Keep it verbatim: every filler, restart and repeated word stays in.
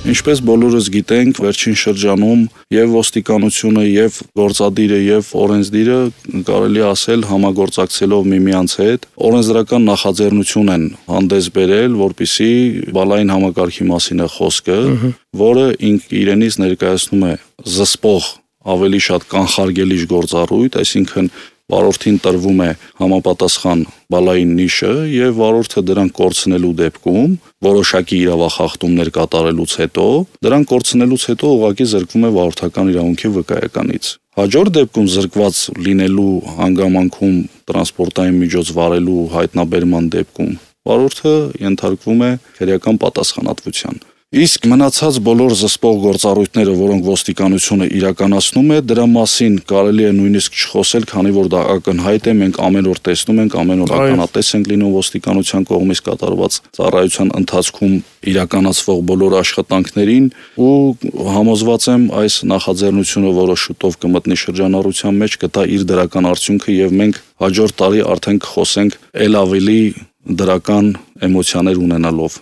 Ինչպես բոլորս գիտենք, վերջին շրջանում եւ ոստիկանությունը, եւ գործադիրը, եւ օրենսդիրը կարելի ասել համագործակցելով միմյանց հետ օրենսդրական նախաձեռնություն են հանդես բերել, որպիսի բալային համակարգի մասին է խոսքը, որը ինք իրենից ներկայացնում է զսպող ավելի շատ կանխարգելիչ գործառույթ, այսինքն վարորդին տրվում է համապատասխան բալային նիշը եւ վարորդը դրան կորցնելու դեպքում որոշակի իրավախախտումներ կատարելուց հետո դրան կորցնելուց հետո ուղղակի զրկվում է վարորդական իրավունքի վկայականից։ Հաջորդ դեպքում զրկված լինելու հանգամանքում տրանսպորտային միջոց վարելու հայտնաբերման դեպքում վարորդը ենթարկվում է քրեական պատասխանատվության։ Իսկ մնացած բոլոր զսպող գործառույթները, որոնք ոստիկանությունը իրականացնում է, դրա մասին կարելի է նույնիսկ չխոսել, քանի որ դա ակնհայտ է, մենք ամեն օր տեսնում ենք, ամեն օր ականատես ենք լինում ոստիկանության կողմից կատարված ծառայության ընթացքում իրականացվող բոլոր աշխատանքներին ու համոզված եմ այս նախաձեռնությունը, որը շուտով կմտնի շրջանառության մեջ, կտա իր դրական արդյունքը եւ մենք հաջորդ տարի արդեն կխոսենք ել ավելի դրական էմոցիաներ ունենալով